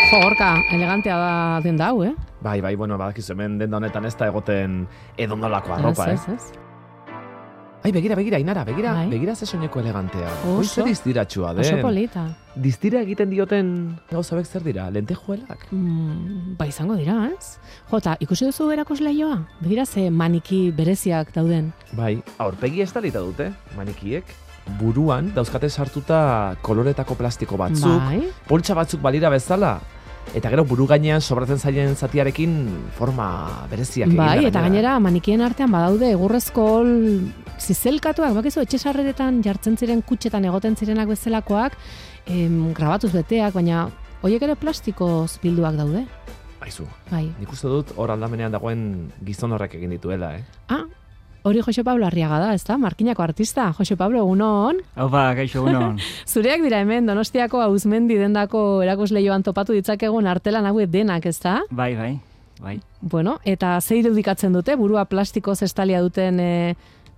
Jo, Gorka, elegantea da denda hau, Bai, bueno, badakizu hemen denda honetan ez da egoten edonolako arropa, Ez. Ai, begira, Ainara, Bai. begira ze soineko elegantea. Oso. Oso distiratsua den. Oso polita. Distira egiten dioten gauzabek zer dira? Lentejuelak? Ba, izango dira, ez? Jota, ikusi duzu erakusleioa? Begira ze maniki bereziak dauden. Bai, aurpegi estalita dute, manikiek. Buruan dauzkate sartuta koloretako plastiko batzuk, Bai. poltsa batzuk balira bezala, eta gero buru gainean sobratzen zaien zatiarekin forma bereziak egin. Bai, eta gainera manikien artean badaude egurrezko zizelkatuak, bakizu, etxesarreretan jartzen ziren kutxetan egoten zirenak bezalakoak, grabatuz beteak, baina horiek ere plastikoz bilduak daude. Aizu, Bai. nik uste dut hor aldamenean dagoen gizon horrek egin dituela, Hori Jose Pablo Arriaga da, ezta? Markinako artista. Jose Pablo, egunon. Haupa, gaixo, egunon. Zureak dira hemen, Donostiako Auzmendi dendako erakusleioan topatu ditzakegun artelan hauek denak, ezta? Bai. Bueno, eta ze irudikatzen dute, burua plastikoz estalia duten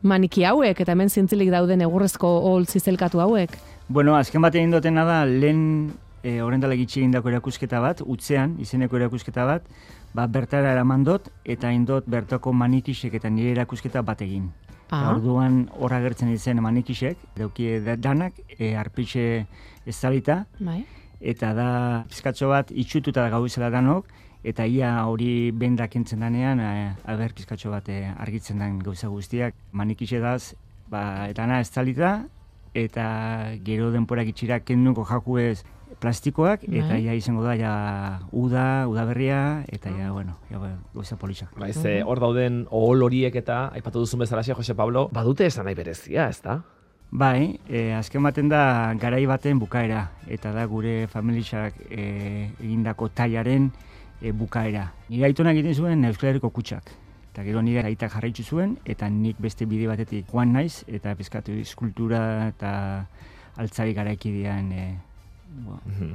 maniki hauek, eta hemen zintzilik dauden egurrezko hol zizelkatu hauek? Bueno, azken bat egin dutena da, lehen horrendala gitxi egindako erakusketa bat, utzean, izeneko erakusketa bat, bertara eraman dut, eta indot bertako manikisek eta nire erakusketa bat egin. Orduan hor agertzen ditzen manikisek, dauki danak, arpitxe estalita, Bai. eta da pizkatxo bat itxututa gauzela danok, eta ia hori bendak entzen danean, aber pizkatxo bat argitzen den gauza guztiak. Manikixe daz, dana estalita, eta gero denporak itxira kenduko jakuez plastikoak, eta ja izango da, udaberria, eta gauza politxak. Bai, hor dauden ohol horiek eta, aipatu duzun bezalaxe, Jose Pablo, badute esan nahi berezia, ez da? Bai, azken baten da garai baten bukaera, eta da gure familixak egindako tailaren bukaera. Nire aitonak egiten zuen Euskal Herriko kutxak. Eta gero nire aitak jarraitzu zuen, eta nik beste bide batetik joan naiz, eta pizkatu eskultura eta altzari garaikidean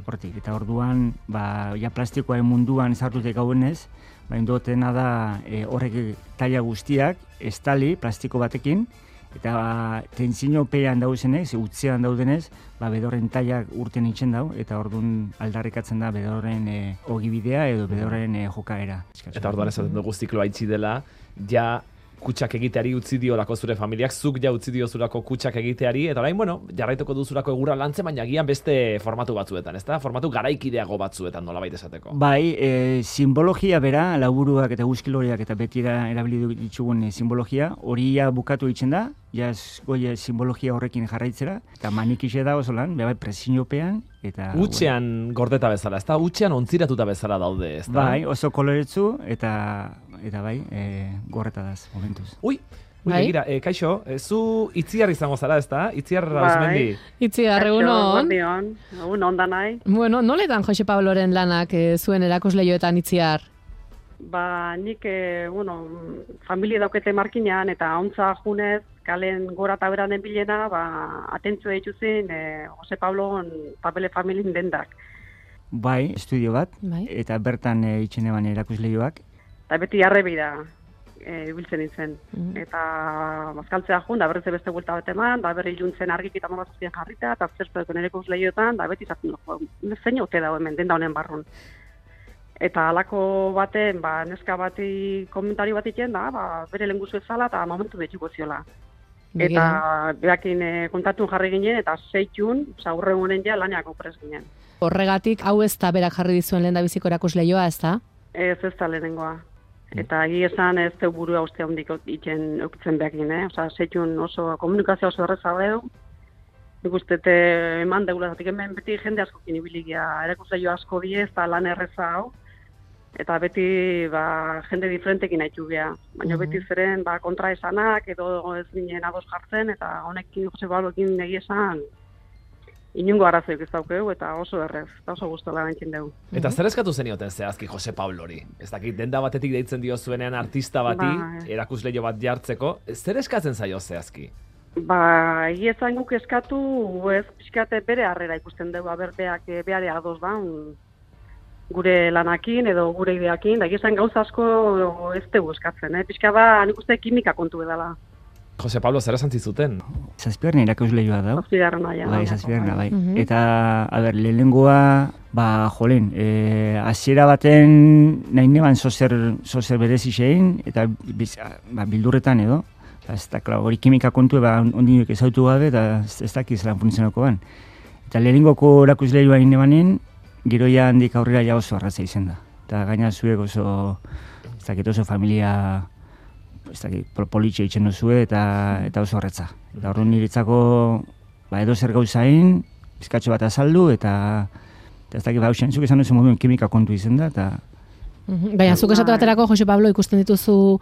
hortik. Eta orduan, plastikoaren munduan ezartutek gauenez, indotena da horrek taila guztiak, estali plastiko batekin, eta tentzinopean dauzenez, utzean daudenez, bedorren tailak urten itxen dau, eta orduan aldarrikatzen da bedorren ogibidea edo bedorren jokaera. Eta orduan esaten dugu zikloa itxi dela, ja kutsak egiteari utzi diolako zure familiak, zuk ja utzi diozulako kutsak egiteari, eta orain, jarraituko duzulako egurra lantzen, baina gian beste formatu batzuetan, ezta? Formatu garaikideago batzuetan nolabait esateko. Bai, simbologia bera, laburuak eta guzkiloriak eta betira erabili ditugun simbologia, hori bukatu itzen da, goie simbologia horrekin jarraitzera, eta manikixe da oso lan, presiopean, eta... Utxean gordeta bezala, ezta? Utxean ontziratuta bezala daude, ezta? Bai, oso koloretsu, eta bai, gorreta daz, momentuz. Ui, begira, kaixo, zu Itziar izango zara, ezta? Itziar Auzmendi. Itziar, egunon. Egunon da nahi. Bueno, noletan Jose Pabloren lanak zuen erakusleioetan Itziar? Nik, familia daukete markinean, eta ontza junez, kalen gora eta beranen bilena, atentzua dituzin Jose Pablon papele familien dendak. Bai, estudio bat, eta bertan itxen eban erakusleioak. Eta beti arrebida ibiltzen nintzen. Eta bazkaltzea jun, da berriz beste buelta bat eman, da berri juntzen argik eta nolazazien jarrita, eta zertzeko erakusleioetan, da beti zaten zein ote dago hemen, denda honen barrun. Eta halako baten, neska bati komentari bat iten da, bere lenguzu ezala eta momentu betxuko ziola. Eta behakin kontatun jarri ginen, eta zeitun, aurre honen ja laniako prez ginen. Horregatik, hau ez da berak jarri dizuen lehen da biziko erakusleioa, ez da? Ez da lehenengoa. Eta esan ez teu burua uste handik itzen eukitzen behakin, zeitun oso komunikazio oso erreza du. Nik uste eman deula, zatik hemen beti jende askokin ibiligia, erakusleio asko diez, eta lan erreza hau. Eta beti jende diferentekin haitu geha. Baina beti zeren kontra esanak edo ez ginen ados jartzen, eta honekin Jose Pabloekin esan inungo arazoik ez daukeu, eta oso errez, eta oso guztola bentzen dugu. Eta zer eskatu zenioten zehazki Jose Pablori? Ez dakit, denda batetik deitzen dio zuenean artista bati, erakusleio bat jartzeko, zer eskatzen zaio zehazki? Egiezan guk eskatu, ez pixkate bere harrera ikusten dugu, berbeak behare ados da, gure lanakin edo gure ideakin, da egiezan gauza asko ez dugu eskatzen, pixka nik uste kimika kontu edala. Jose Pablo, zer esan zizuten? Zazpigarren erakusleioa da. Zazpigarrena, ja. Bai, zazpigarrena, bai. Eta, lehenengoa, Jolen, hasiera baten nahi neban zozer berezi zein, eta bildurretan edo. Ez da, hori kimika kontu, ondinek ezautu gabe, eta ez dakiz lan funtzionako ban. Eta lehenengoko erakusleioa nahi nebanen, giroia handik aurrera ja oso arraza izen da. Eta gaina zuek oso, ez dakit oso familia, ez dakit politxe itxen duzue, eta oso arratza. Eta horren niretzako, edo zer gauzain, bizkatxo bat azaldu, eta ez dakit, zuk esan duzu moduen kimika kontu izen da, eta... Baina, zuk esatu baterako, Jose Pablo, ikusten dituzu,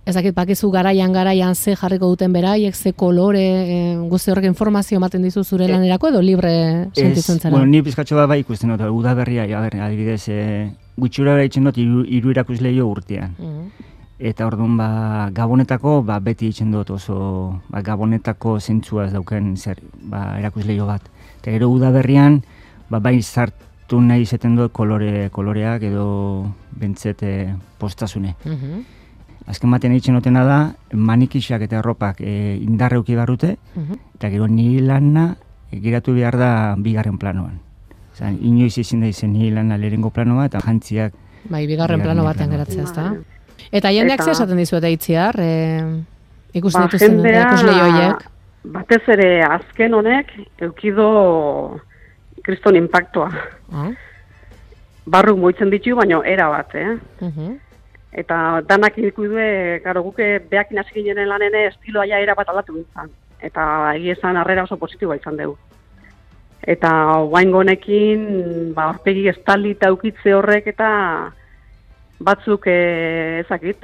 ez dakit, bakizu garaian ze jarriko duten beraiek, ze kolore, guzti horrek informazio ematen dizu zure lanerako, edo libre sentitzen zara? Bueno, ni bizkatxo bat ikusten dut, udaberria, adibidez, gutxura bera itzen dut, hiru erakusleio urtean. Eta orduan, Gabonetako, beti itzen dut oso, Gabonetako zentzua ez dauken erakusleio bat. Eta gero udaberrian, bai sartu nahi izaten dut koloreak edo bentzete postasune. Azken batean egiten dutena da, manikixak eta erropak indarreuki barrute, eta gero niri lana giratu behar da bigarren planoan. Inoiz ezin da izen niri lana lehenengo planoa, eta jantziak... bigarren plano batean geratzea, ezta? Eta jendeak zer esaten dizuete Itziar, ikusten dituzten erakusle horiek? Batez ere azken honek, eukido kriston impactua. Barruk moitzen ditu, baina era bat, Eta danak ikudue, garo guke behakin hasi ginen lanene estiloa ja era bat aldatu nintzen. Eta egiezan harrera oso positiboa izan dugu. Eta guaingo honekin, aurpegi estali eta ukitze horrek eta batzuk ezakit,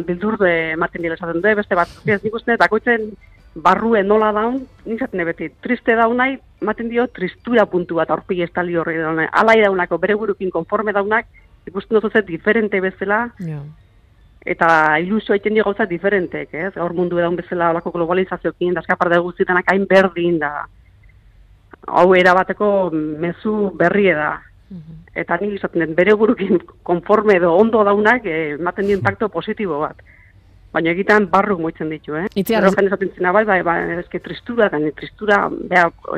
bildur ematen dira esaten du, beste batzuk ez nik uste, dakoitzen barrue nola daun, nintzen beti, triste daunai, ematen dio tristura puntu bat aurpegi estali horrek daunai. Alai daunako, bere burukin konforme daunak, ikusten dut diferente bezala, eta ilusio egiten dio gauza diferentek, ez? Gaur mundu edaun bezala olako globalizazioekin, da eskapar da guztietan hain berdin da. Hau erabateko mezu berrie da. Eta nik izaten den, bere burukin konforme edo ondo daunak, ematen di impacto positibo bat. Baina egiten barruk moitzen ditu, Itziar, Gero esaten zena eske tristura,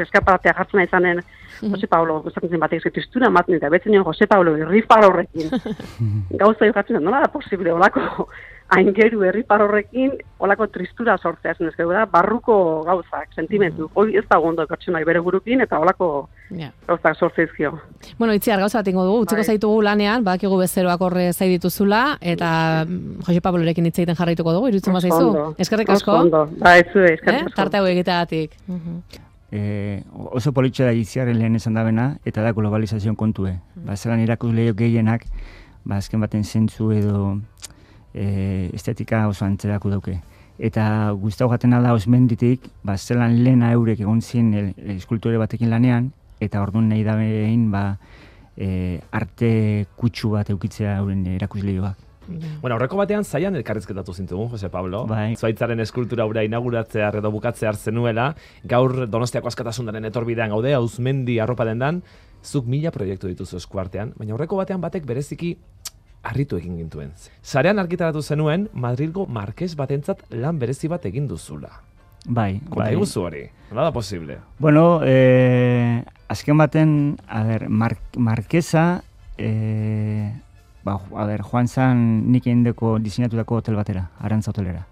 eskaparatea jartzen izanen, Jose Pablo, esaten zen batek, tristura ematen eta betzen nion Jose Pablo herripar horrekin. Gauza jartzen nola da posible olako aingeru herripar horrekin olako tristura sortzea zen da, barruko gauzak, sentimentu. Hoi ez da gondo pertsonai bere burukin eta olako gauzak sortzeizkio. Bueno, Itziar, gauza bat ingo dugu, utziko zaitugu lanean, bakigu bezeroak horre zai dituzula, eta Jose Pablorekin hitz egiten jarraituko dugu, iruditzen bazaizu. Eskerrik asko. Ondo, eskerrik asko. Tarte hau egiteagatik. Oso politxe da Itziarren lehen esan dabena, eta da globalizazioan kontue. Zelan erakusleio gehienak, azken baten zentzu edo estetika oso antzerako dauke. Eta guztau jatena da osmenditik, zelan lehena eurek egon ziren eskultore batekin lanean, eta orduan nahi da behin arte kutsu bat eukitzea euren erakusleioak. Bueno, aurreko batean zaian elkarrizketatu zintugun, Jose Pablo. Zuaitzaren eskultura ura inauguratzea edo bukatzear zenuela, gaur Donostiako Askatasunaren etorbidean gaude, Auzmendi arropa dendan, zuk 1000 proiektu dituzu eskuartean, baina aurreko batean batek bereziki harritu egin gintuen. Sarean argitaratu zenuen, Madrilgo markes batentzat lan berezi bat egin duzula. Konta iguzu hori, nola da posible? Bueno, azken baten, markesa, joan zan nik egindeko diseinatutako hotel batera, Arantza hotelera.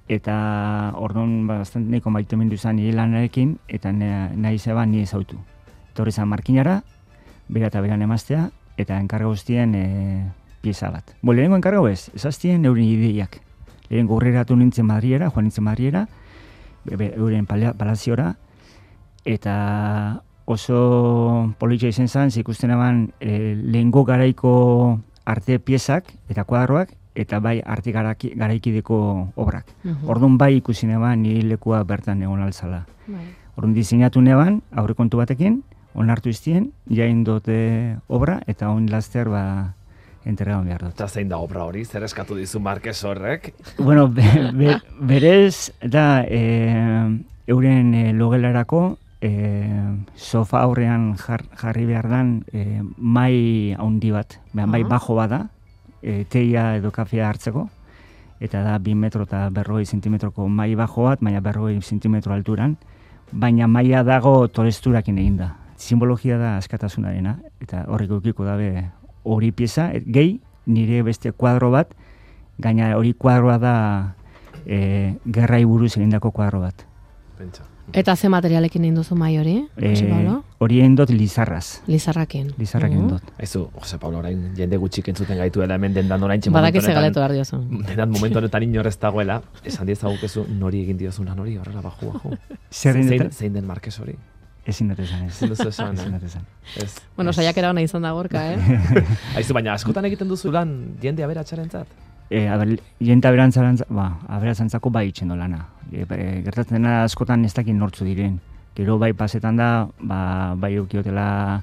Eta orduan bastant neko maitu mindu zan nire lanarekin, eta nahi zeba nire zautu. Torri zan markinara, bera eta beran emaztea, eta enkarga guztien pieza bat. Lehenengo enkarga ez, ezaztien euren ideiak. Lehenengo urreratu nintzen Madriera, joan nintzen Madriera, euren palaziora, eta oso politxea izan zen, ikusten eban lehengo garaiko arte piezak eta kuadroak, eta bai arte garaikideko obrak. Orduan bai ikusi neban nire lekua bertan egon altzala. Orduan diseinatu neban, aurrekontu batekin, onartu iztien, jain dute obra, eta on laster enterregan behar dut. Eta zein da obra hori, zer eskatu dizu Markes horrek? Bueno, berez, da, euren logelarako, sofa aurrean jarri behar dan mai handi bat, bai bajo bada, teia edo kafea hartzeko, eta da 2 metro eta 40 zentimetroko mai bajo bat, baina 40 zentimetro alturan, baina maia dago toresturakin eginda. simbologia da askatasunarena, eta horrek eukiko dabe hori pieza, gehi nire beste kuadro bat, gaina hori kuadroa da gerrai buruz egindako kuadro bat. Pentsa. Eta ze materialekin egin duzu mai hori? Jose Pablo? Hori egin dut lizarraz. Lizarrakin. Lizarrakin dut. Aizu, Jose Pablo, orain jende gutxik entzuten gaituela hemen dendan orain txe Badaki ze galetu behar diozun. Dendan momentu honetan inorrez dagoela, esan diezagukezu nori egin diozuna nori, horrela baju. Zein den Marquez hori? Ezin dut esan, ez. Ezin duzu esan, Ezin dut esan. Ez. Bueno, saiakera hona izan da gorka, Aizu, baina askotan egiten duzu lan jende aberatsarentzat? Jente aberatsantzako bai itxendo lana. Gertatzen da askotan ez dakit nortzu diren. Gero bai pasetan da, bai eukiotela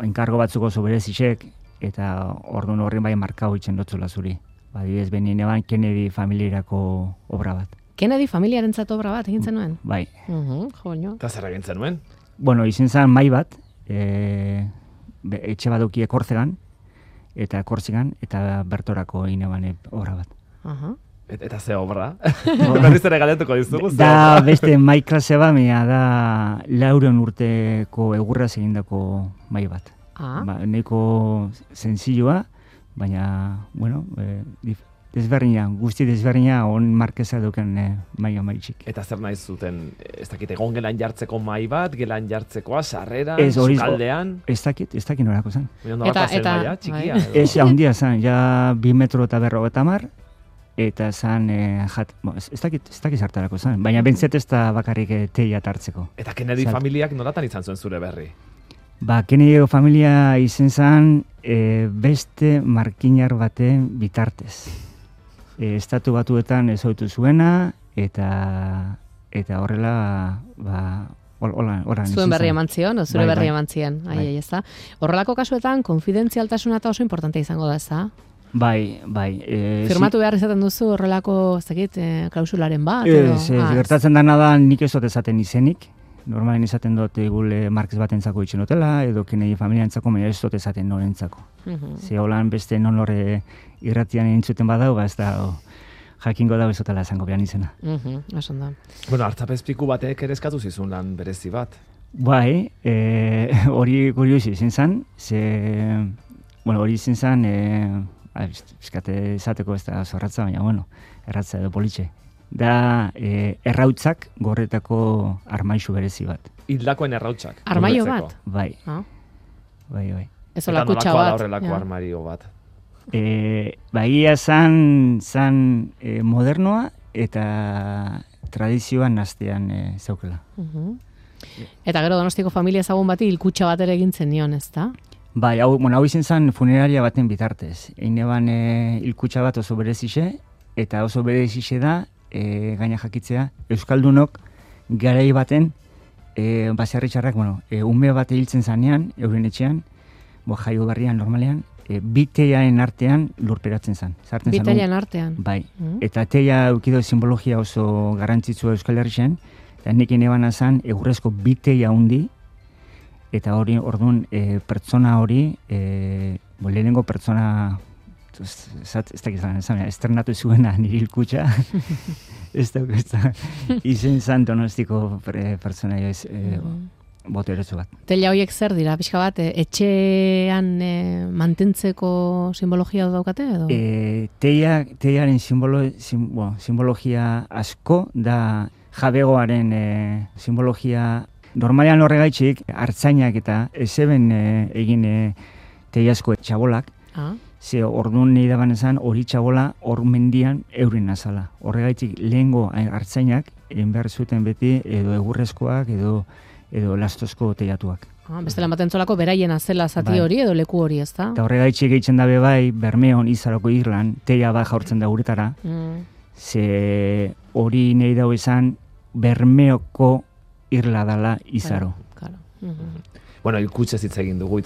enkargo batzuko soberezisek, eta orduan horren bai markau itxen dotzula zuri. Badidez, behin eban Kennedy familiarako obra bat. Kennedy familiarentzat obra bat egin zenuen? Bai. Joño. Eta zer egin zenuen? Bueno, izin zen mai bat, etxe baduki Kortzegan, eta Kortzegan, eta bertorako egin eban obra bat. Eta ze obra? Berriz ere galetuko dizugu. Da beste mai klase bat, da 400 urteko egurraz egindako mai bat. Nahiko senzilloa, baina, bueno, desberdina, guzti desberdina on Markeza duken maia maitxik. Eta zer nahi zuten, ez dakit, egon gelan jartzeko mai bat, gelan jartzekoa, sarreran, sukaldean? Ez dakit norako zen. Eta txikia? Ez, handia zen, ja 2 metro eta 50, eta zen, ez dakit zartarako zen, baina bentzet ez da bakarrik teia hartzeko. Eta Kennedy familiak nolatan izan zuen zure berri? Kennedy familia izen zen beste markinar baten bitartez. Estatu Batuetan ezoitu zuena, eta horrela, hola zuen berri eman zion, zure berri eman zion. Ez da. Horrelako kasuetan, konfidentzialtasuna eta oso importante izango da, ez da? Bai. Firmatu behar izaten duzu horrelako, ez dakit, klausularen bat? Gertatzen dana da nik ez dut ezaten izenik. Normalen izaten dut gule Marquez batentzako itxen dutela, edo Kennedy familiantzako, baina ez dut ezaten norentzako. Ze holan beste non horre irratian entzuten badau, ez da jakingo da bezotela esango behan izena. Esan da. Bueno, hartzapezpiku batek ere eskatu zizun lan berezi bat. Bai, hori kuriosi izin zen, hori izin zen, eskate izateko ez da zorratza, baina, bueno, erratza edo politxe. Da errautzak gorretako armaisu berezi bat. Hildakoen errautzak? Armaio bat? Bai. Bai. Ez hola kutsa bat. Eta nolakoa da horrelako armario bat? Baia zan modernoa eta tradizioan naztean zaukela. Eta gero Donostiko familia ezagun bati hilkutxa bat ere egintzen nion, ez da? Bai, hau izan zen funeraria baten bitartez. Eine ban hilkutxa bat oso berezixe, eta oso berezixe da, gaina jakitzea, Euskaldunok garai baten, baserritxarrak, ume bat hiltzen zanean, euren etxean, jaio berrian normalean, biteiaen artean lurperatzen zan. Biteiaen artean? Bai, eta teia eukido simbologia oso garrantzitsua Euskal Herrixen, eta nik inebana zan egurrezko biteia hundi, eta hori, orduan, pertsona hori, lehenengo pertsona, ez dakizan, estrenatu zuena niri hilkutxa, ez da, izen zan Donostiko pertsona joiz, boteretsu bat. Teila horiek zer dira, pixka bat, etxean mantentzeko simbologia daukate edo? Teiaren simbologia asko da jabegoaren simbologia. Normalean horregaitxik, hartzainak eta ezeben egin teiazko txabolak, ze orduan nahi daban esan hori txabola hor mendian euren azala. Horregaitxik lehengo hartzainak egin behar zuten beti edo egurrezkoak edo lastozko teiatuak. Bestela matentzolako beraien azela zati hori edo leku hori, ez da? Eta horregaitxik egiten dabe bai, Bermeon izaroko irlan, teia bat jaurtzen da guretara, ze hori nahi dago esan Bermeoko irla dala izaro. Bueno, hilkutxez hitz egin dugu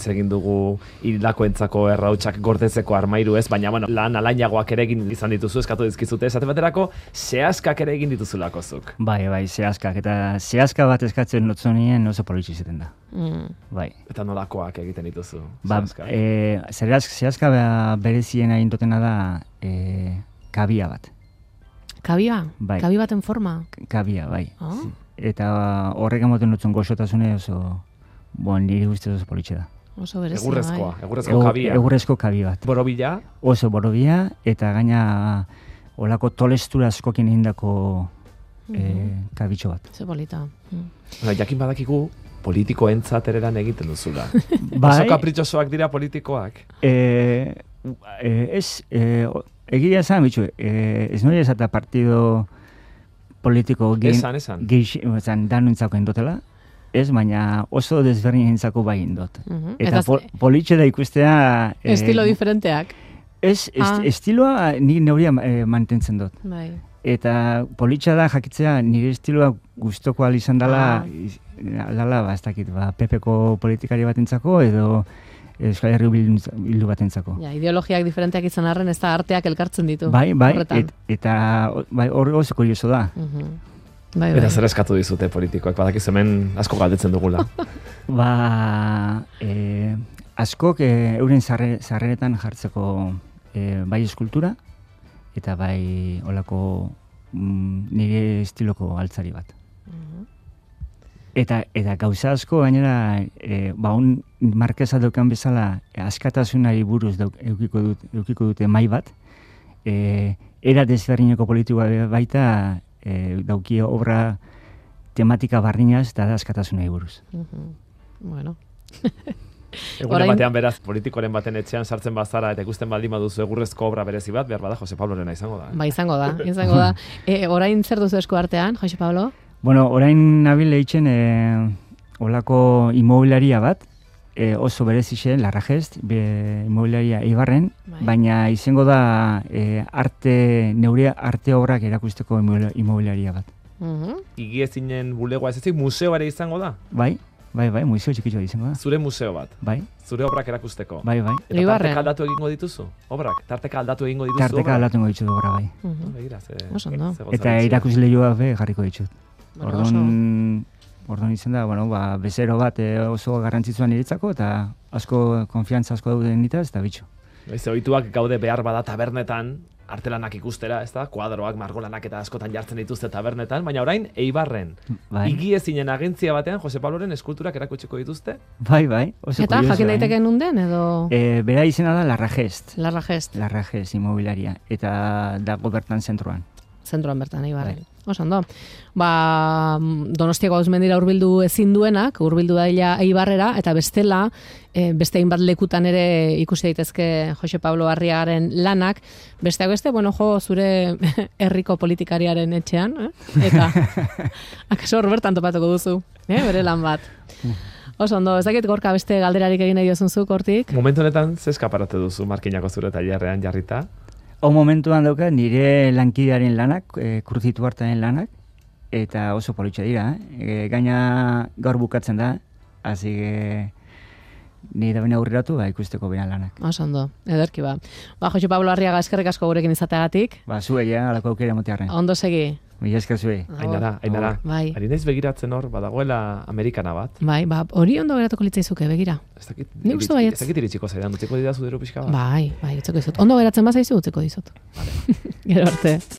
hildakoentzako errautsak gordetzeko armairu ez, baina lan alainagoak ere egin izan dituzu, eskatu dizkizute, esate baterako, zehazkak ere egin dituzulako zuk. Bai, zehazkak, eta zehazka bat eskatzen lotzonien oso politxe izaten da. Bai. Eta nolakoak egiten dituzu? Zehazka berezien egin dutena da kabia bat. Kabia? Bai. Kabi baten forma? Kabia, bai. eta horrek emoten dutzen goxotasune oso, niri ustez oso politxe da. Oso berezia, egurrezko kabia. Egurrezko kabi bat. Borobila? Oso borobila, eta gaina olako tolestura askokin egindako kabitxo bat. Ze polita. Jakin badakigu politikoentzat ereran egiten duzula. Bai, oso kapritxosoak dira politikoak. Egia esan, bitxu, ez nori esata partido politiko esan. danuntzako indotela, ez, baina oso desberdin entzako bai indot. Eta politxe da ikustea... Estilo diferenteak. Estiloa nik neuria mantentzen dut. Bai. Eta politxa da jakitzea nire estiloa gustoko izan dela, ez dakit, PP-ko politikari batentzako edo Euskal Herri bildu batentzako. Ja, ideologiak diferenteak izan arren, ez da arteak elkartzen ditu. Bai, eta hori oso kurioso da. Bai. Eta zer eskatu dizute politikoak, badakiz hemen asko galdetzen dugula. Askok euren sarreretan jartzeko bai eskultura, eta bai olako nire estiloko altzari bat. Eta gauza asko gainera, un markesa daukan bezala askatasunari buruz eukiko dute mai bat, era desberdineko politikoa baita dauki obra tematika barrinaz eta da askatasunari buruz. Bueno. Egunen batean beraz, politikoren baten etxean sartzen bazara eta ikusten baldin baduzu egurrezko obra berezi bat, behar bada Jose Pablorena izango da. Ba, izango da. Orain zer duzu esku artean, Jose Pablo? Bueno, orain nabil eitzen olako inmobiliaria bat, oso berezixe, Larragest, inmobiliaria Eibarren, baina izango da neure arte obrak erakusteko inmobiliaria bat. Igiezinen bulegoa ez ezik, museo ere izango da? Bai, museo txikitxoa izango da. Zure museo bat? Bai. Zure obrak erakusteko? Bai. Eta tarteka aldatu egingo dituzu? Obrak? Tarteka aldatu egingo dituzu obrak? Tarteka aldatu egingo dituzu obra, bai. Eta erakusleihoak jarriko ditut. Orduan izan da, bezero bat oso garrantzitsuan niretzako, eta asko konfiantza asko dauden nitaz, eta bitxo. Ze ohituak gaude behar bada tabernetan, artelanak ikustera, ez da? Kuadroak, margolanak eta askotan jartzen dituzte tabernetan, baina orain, Eibarren. Igiezinen agentzia batean, Jose Pabloren eskulturak erakutsiko dituzte? Bai, oso eta kurioso. Jakin daiteke nunden, edo? Bera izena da Larragest. Larragest Inmobiliaria, eta dago bertan zentroan. Zentroan bertan, Eibarren. Oso Donostiako Auzmendira hurbildu ezin duenak, hurbildu daila Eibarrera, eta bestela, beste hainbat lekutan ere ikusi daitezke Jose Pablo Arriagaren lanak, besteak beste, zure herriko politikariaren etxean, eta akaso hor bertan topatuko duzu, bere lan bat. Oso ez dakit Gorka beste galderarik egin nahi diozunzuk hortik? Momentu honetan, ze eskaparate duzu Markinako zure tailerrean jarrita? Momentuan dauka nire lankidearen lanak, Kruzitu Artaren lanak, eta oso politxa dira. Gaina gaur bukatzen da, hasi nire da bena aurreratu, ikusteko bena lanak. Oso ederki ba. Jose Pablo Arriaga, eskerrik asko gurekin izateagatik. Zuei, alako aukera motearren. Ondo segi. Mila esker zuei. Ainara. Ari naiz begiratzen hor, badagoela Amerikana bat. Hori ondo geratuko litzaizuke, begira. Ez dakit iritsiko zaidan, utziko didazu dero pixka bat. Utzeko dizut. Ondo geratzen bazaizu, utzeko dizut. Gero arte.